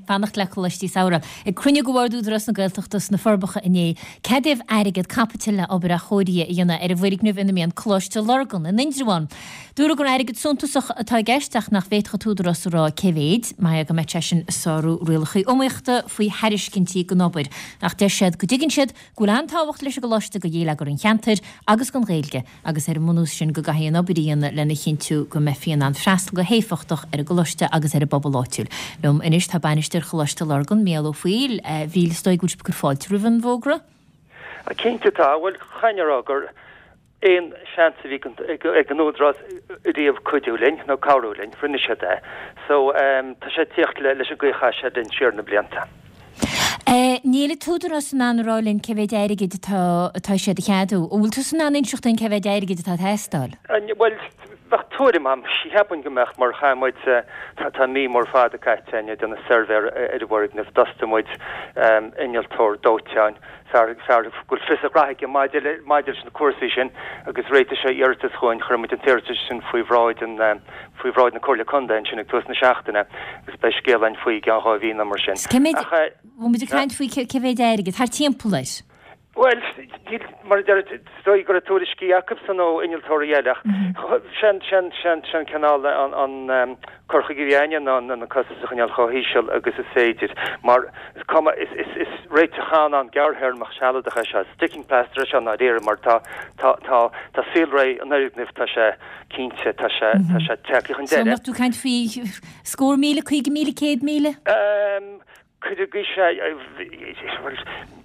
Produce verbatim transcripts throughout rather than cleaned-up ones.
Fanacht le Coláistí Samhraidh. Ag cruinniú de Bhord Údarás na Gaeltachta sna Forbacha inné, ceadaíodh airgead caipitil le obair athchóirithe a dhéanamh ar an bhfoirgneamh ina mbíonn Coláiste Lurgan in Indreabhán. Dúradh gur airgead suntasach atá i gceist ach nach bhféadfadh an tÚdarás a rá cé mhéid, mar go mbeadh sé sin ag sárú rialacha iomaíochta faoi thairiscintí don obair. Ach deir siad go dtuigeann siad go bhfuil an-tábhacht leis an gcoláiste do gheilleagar an cheantair agus don Ghaeilge agus ar an mbunús sin go gcaithfí an obair a dhéanamh lena chinntiú go mbeifí in ann freastal go héifeachtach ar an gcoláiste agus ar an bpobal áitiúil. Liom anois tá bainisteoir Choláiste Lurgan, Mícheál Ó Foighil, a Mhíchíl, is dóigh go bhfuil sibh ag cur fáilte roimh an bhfógra? Cinnte tá, bhuel caithfidh mé a rá gur aon seans a bhí ag an Údarás riamh cuidiú linn nó cabhrú linn, rinne siad é. So tá sé ag tíocht leis an gcaoi a chaith siad linn siar na blianta. Níl an tÚdarás in ann a rá linn cé mhéid airgid atá atá siad a cheadú. An bhfuil tusa in ann inseacht dúinn cé mhéid airgid atá ag teastáil? Bhuel, bheadh tuairim agam, cheapfainn go mbeadh, mar chaith muid, tá mí mór fada caite againn ag déanamh suirbhé ar an bhfoirgneamh, d'fhostaigh muid innealtóir dóiteáin, fear fear go bhfuil fios a ghraithe aige maidir le maidir leis na cúrsaí sin agus réitigh sé iarratas chugainn, chuir muid an t-iarratas sin faoi bhráid an faoi bhráid na Comhairle Contae ansin ag tús na seachtaine agus beidh scéal againn faoi i gceann dhá mhí nó mar sin. Cé mhéid, Ach eh, bhfuil muid ag caint faoi cé mhéid airgid, thart timpeall air? Bhuel, níl, mar a deir, is dóigh go raibh tuairiscí acusan ó innealtóirí eile ach sin sin sin sin cineál an an cur chuige a bhí againne ná na costais a choinneáil chomh híseal agus is féidir mar is cuma is is is réiteach an-ghearrthéarmach sealadach é seo, sticking plaster é seo i ndáiríre mar tá tá tá tá saolré an fhoirgnimh tá sé cinnte tá sé tá sé tagtha chun So deireadh. mbeadh tú ag caint faoi scór míle, caoga míle, céad míle? Um, Cuir go sé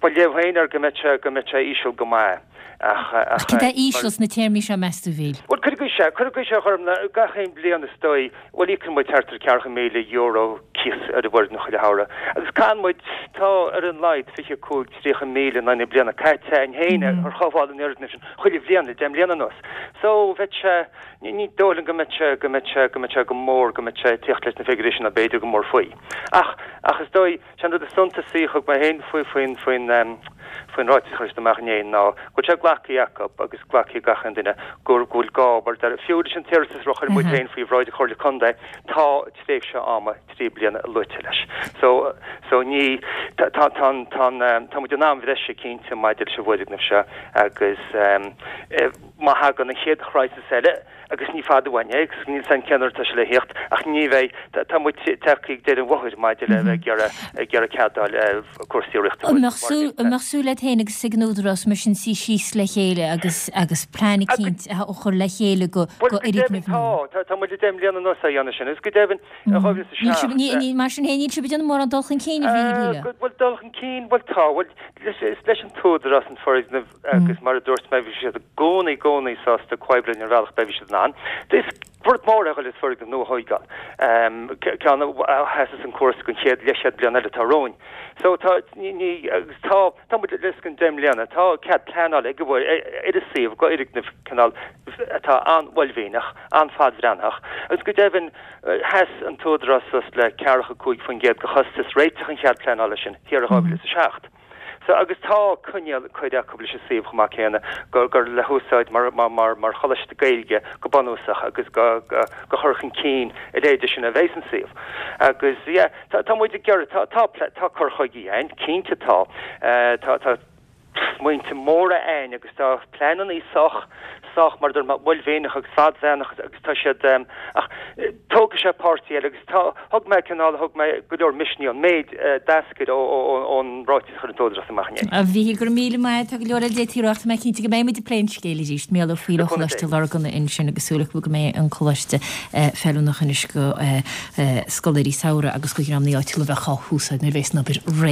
ba léamh féin ar go mbeadh sé go mbeadh sé íseal go maith ach Ach ach cad é mar íseal sna téarmaí seo meas tú a Mhíchíl? Bhuel cuir go sé cuir go sé chum gach aon bliain is dóigh bhuel íocann muid thart ar ceathracha míle euro cíos ar an bhfoirgneamh chuile shamhradh agus caitheann muid tá ar an laghad fiche cúig tríocha míle in aghaidh na bliana caite againn féin ar chothabháil an fhoirgnimh sin chuile bhliain le deich mbliana anuas. So bheadh sé ní ní dóigh liom go mbeadh sé go mbeadh sé go mbeadh sé go mór go mbeadh sé ag tíocht leis na figiúirí sin nó b'fhéidir go mór faoi. Ach ach is dóigh sé an rud is suntasaí a thug mé féin faoi faoin faoin faoin ráiteas a chuir siad amach inné ná go bhfuil sé glactha acu agus glactha ag gach aon duine gur go bhfuil gá mar deir fiú leis an t-iarratas a chuir muid féin faoi bhráid Chomhairle Contae tá tréimhse ama trí bliana luaite leis. So so ní tá tá tá tá tá muid in am bhreise cinnte maidir leis an bhfoirgneamh seo agus um, má thagann an chéad chrisis eile agus ní fada uainn é agus níl san cén uair atá sé le theacht ach ní bheidh tá muid tagtha ag deireadh an bhóthair maidir le bheith ag iarraidh ag iarraidh cead a fháil cúrsaí riachtanais. An mbeadh súil an mbeadh súil agat féin agus ag an Údarás mar sin suí síos le chéile agus agus plean eicínt a chur le chéile go Bhuel go go deimhin fhoirgneamh nua? tá tá tá muid le deich mbliana anuas á dhéanamh sin agus go deimhin dhá mhíle is a Níl sibh seacht ní ní mar sin féin níl sibh ag déanamh mórán dul chun cinn a Mhíchíl. Bhuel dul chun cinn bhuel tá bhuel is leis an t-údarás an foirgneamh agus mar a dúirt mé bhí siad i gcónaí gcónaí sásta comhoibriú linn ar bhealach bhí siad in ann. Is rud mór é le foirgneamh nua a thógáil. Ceann a sheasas an cúrsa don chéad leathchéad bliain eile atá romhainn. So tá ní ní agus tá tá muid le an deich mbliana tá cead pleanála ag ar an suíomh go fhoirgneamh cineál atá an-uaillmhianach, an-fhadbhreathnaitheach agus go deimhin sheas an t-údarás suas le ceathracha cúig faoin gcéad de chostas réiteach an chead pleanála sin thiar in dhá mhíle is a seacht. So agus tá coinníoll curtha acu leis an suíomh chomh maith céanna gur gur le húsáid mar mar mar mar choláiste Gaeilge go bunúsach agus go go go chur chun cinn a leithéide sin a bheidh san suíomh. Agus yeah, tá tá muid ag iarraidh tá tá tá cur chuige againn, cinnte tá tá tá smaointe móra againn agus tá pleananna sách sách mar dur uaillmhianach agus fadbhreathnaitheach agus tá siad ach tógfaidh sé páirtí eile agus tá thug mé cineál thug mé go leor misnigh an méid d'eascair ón ráiteas a chuir an t-údarás amach inné. A Mhíchíl, go raibh míle maith, tá go leor eile d'fhéadfaí a rá ach tá mé cinnte go mbeidh muid ag plé an scéil arís. Mícheál Ó Foighil ó Choláiste Lurgan ansin agus súil acu go mbeidh an coláiste feiliúnach anois go scoláirí samhraidh agus go dhreamanna áitiúla a bheadh á húsáid nuair a bheas an obair réidh.